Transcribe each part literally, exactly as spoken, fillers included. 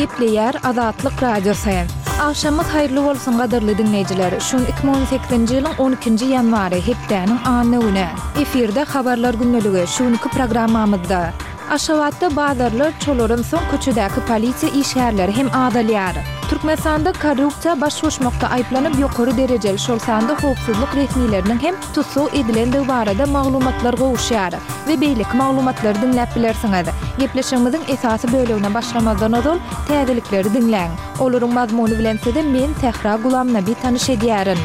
Gepleýär Azatlyk Radiosy. Agşamyňyz haýyrly bolsun gadyrly diňleýjiler. Şu gün iki müň on sekizinji ýylyň on ikinji ýanwary, hepdäniň anna güni. Efirde Habarlar gündeligi, şu günki programmamyzda. Aşgabatda bazarlar çolaransoň köçedäki polisiýa işgärleri hem azalýar. Türkmenistanda korrupsiýa baş goşmakda aýyplanyp ýokary derejeli şol sanda howpsuzlyk resmileriniň hem tussag edilendigi barada maglumatlar gowuşýar we beýleki maglumatlary diňläp bilersiňiz. Gepleşigimiziň esasy bölegine başlamazdan ozal täzelikleri diňläň. Olaryň mazmuny bilen sizi men Sähra Gulamnabi tanyş edýärin.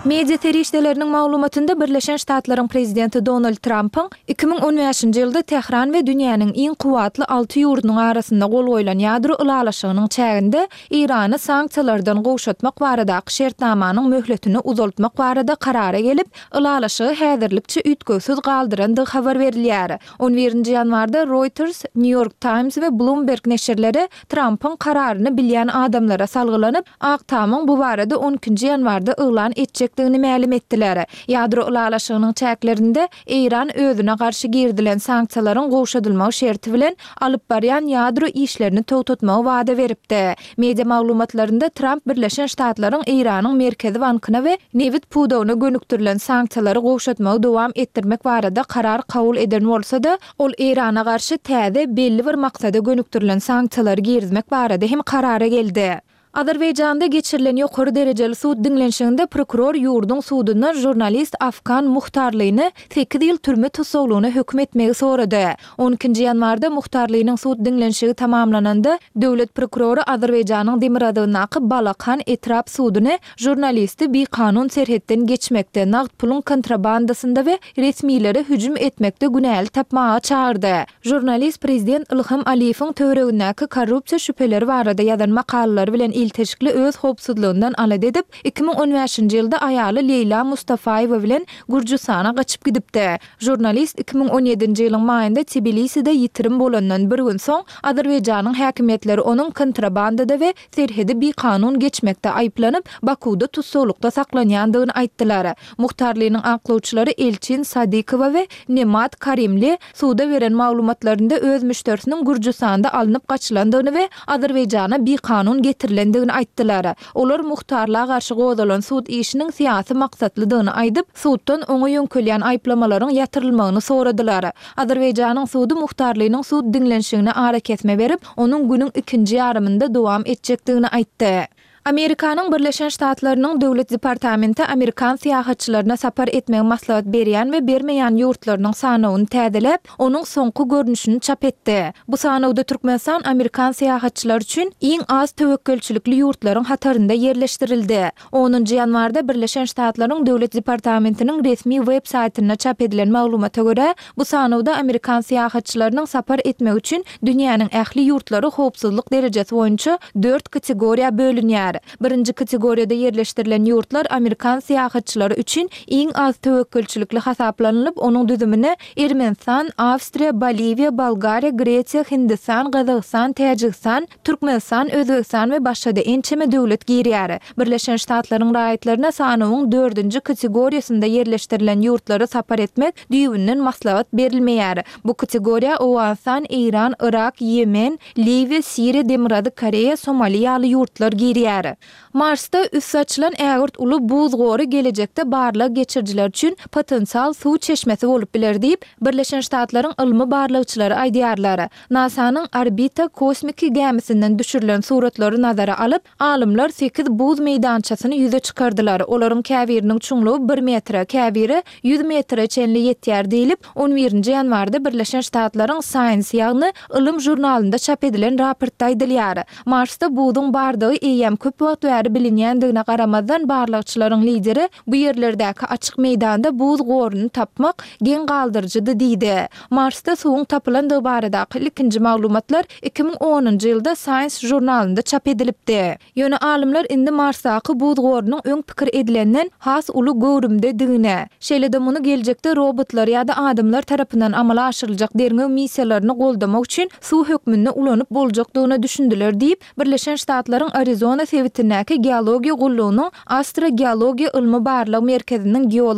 Media serişdeleriniň maglumatynda Birleşen Ştatlaryň prezidenti Donald Trampyň iki müň on bäşinji ýylda Tähran we dünýäniň iň kuwwatly alty ýurdunyň arasynda gol goýlan ýadro ylalaşygynyň çäginde Eýrany sanksiýalardan gowşatmak baradaky şertnamanyň möhletini uzaltmak barada karara gelip, ylalaşygy häzirlikçe üýtgewsiz galdyrandygy habar berilýär. On birinji ýanwarda Reuters, New York Times we Bloomberg neşirleri Trampyň kararyny bilýän adamlara salgylanyp, Ak Tamyň bu barada on ikinji ýanwarda yglan etjekdigini mälim etdiler. Ýadro ylalaşygynyň çäklerinde Eýran özüne garşy girizilen sanksiýalaryň gowşadylmagy şerti bilen alyp barýan ýadro işlerini togtatmagy wada beripdi. Media maglumatlarynda Tramp Birleşen Ştatlaryň Eýranyň Merkezi bankyna we nebit pudagyna gönükdirilen sanksiýalary gowşatmagy dowam etdirmek barada karar kabul eden bolsa-da, ol Eýrana garşy täze, belli bir maksada gönükdirilen sanksiýalary girizmek barada hem karara geldi. Azerbaýjanda geçirilen ýokary derejeli sud diňlenişiginde prokuror ýurduň sudundan žurnalist Afgan Muhtarlyny sekiz ýyl türme tussaglygyna höküm etmegi sorady. On ikinji ýanwarda Muhtarlynyň sud diňlenişigi tamamlananda, döwlet prokurory Azerbaýjanyň demirgazygyndaky Balakan etrap suduny žurnalisti bikanun serhetden geçmekde, nagt puluň kontrabandasynda we resmilere hüjüm etmekde günäli tapmaga çagyrdy. Žurnalist prezident Ilham Aliýewiň töweregindäki korrupsiýa şübheleri barada ýazan makalalary bilen ilteşikli öz howpsuzlygyndan alada edip, iki müň on bäşinji ýylda aýaly Leýla Mustafaýewa bilen Gürjüstana gaçyp gidipdi. Žurnalist iki müň on ýedinji ýylyň maýynda Tbiliside ýitirim bolandan bir gün soň, Azerbaýjanyň häkimiýetleri onuň kontrabandada we serhedi bikanun geçmekde aýyplanyp, Bakuwda tussaglykda saklanýandygyny aýtdylar. Muhtarlynyň aklawçylary Elçin Sadykowa we Nemat Karimli suda beren maglumatlarynda öz müşderisiniň Gürjüstanda alnyp gaçylandygyny we Azerbaýjana bikanun getirilendigini aýtdylar. Olar Muhtarla garşy gozalan sud işiniň syýasy maksatlydygyny aýdyp, suddan oňa ýöňkelýän aýyplamalaryň ýatyrylmagyny soradylar. Azerbaýjanyň sudy Muhtarlynyň sud diňlenişigine arakesme berip, onuň günüň ikinji ýarymynda dowam etjekdigini aýtdy. Amerikanyň Birleşen Ştatlarynyň Döwlet departamenti amerikan syýahatçylaryna sapar etmegi maslahat berýän we bermeýän ýurtlarynyň sanawyny täzeläp, onuň soňky görnüşini çap etdi. Bu sanawda Türkmenistan amerikan syýahatçylary üçin iň az töwekgelçilikli ýurtlaryň hatarynda ýerleşdirildi. Onunjy ýanwarda Birleşen Ştatlaryň Döwlet departamentiniň resmi web saýtynda çap edilen maglumata görä, bu sanawda amerikan syýahatçylarynyň sapar etmegi üçin dünýäniň ähli ýurtlary howpsuzlyk derejesi boýunça dört kategoriýa bölünýär. Birinji kategoriýada ýerleşdirilen ýurtlar amerikan syýahatçylary üçin iň az töwekgelçilikli hasaplanylyp, onuň düzümine Ermenistan, Awstriýa, Boliwiýa, Bolgariýa, Gresiýa, Hindistan, Gazagystan, Täjigistan, Türkmenistan, Özbegistan we başga-da ençeme döwlet girýär. Birleşen Ştatlaryň raýatlaryna sanawyň dördünji kategoriýasynda ýerleşdirilen ýurtlara sapar etmek düýbünden maslahat berilmeýär. Bu kategoriýa Owganystan, Eýran, Yrak, Ýemen, Liwiýa, Siriýa, Demirgazyk Koreýa, Somali ýaly ýurtlar girýär. Marsda üsti açylan ägirt uly buz gory gelejekde barlag geçirijiler üçin potensial suw çeşmesi bolup biler diýip, Birleşen Ştatlaryň ylmy barlagçylary aýdýarlar. NASA-nyň orbita kosmiki gämisinden düşürilen suratlary nazara alyp, alymlar sekiz buz meýdançasyny ýüze çykardylar. Olaryň käbiriniň çuňlugy bir metre, käbiri ýüz metre çenli ýetýär diýlip, on birinji ýanwarda Birleşen Ştatlaryň Science, ýagny ylym žurnalynda çap edilen raportda aýdylýar. Marsda buzuň bardygy eýýäm köp wagt bäri bilinýändigine garamazdan, barlagçylaryň lideri bu ýerlerdäki açyk meýdanda buz goruny tapmak geň galdyryjydy diýdi. Marsda suwuň tapylandygy baradaky ilkinji maglumatlar iki müň onunjy ýylda Science žurnalynda çap edilipdi. Ýöne alymlar indi Marsdaky buz gorunyň öň pikir edilenden has uly göwrümdedigine, şeýle-de muny geljekde robotlar ýa-da adamlar tarapyndan amala aşyryljak derňew missiýalaryny goldamak üçin suw hökmünde ulanyp boljakdygyna düşündiler diýip, Birleşen Ştatlaryň Arizona sebitindäki Geologiýa gullugynyň Astrogeologiýa ylmy-barlag merkeziniň geology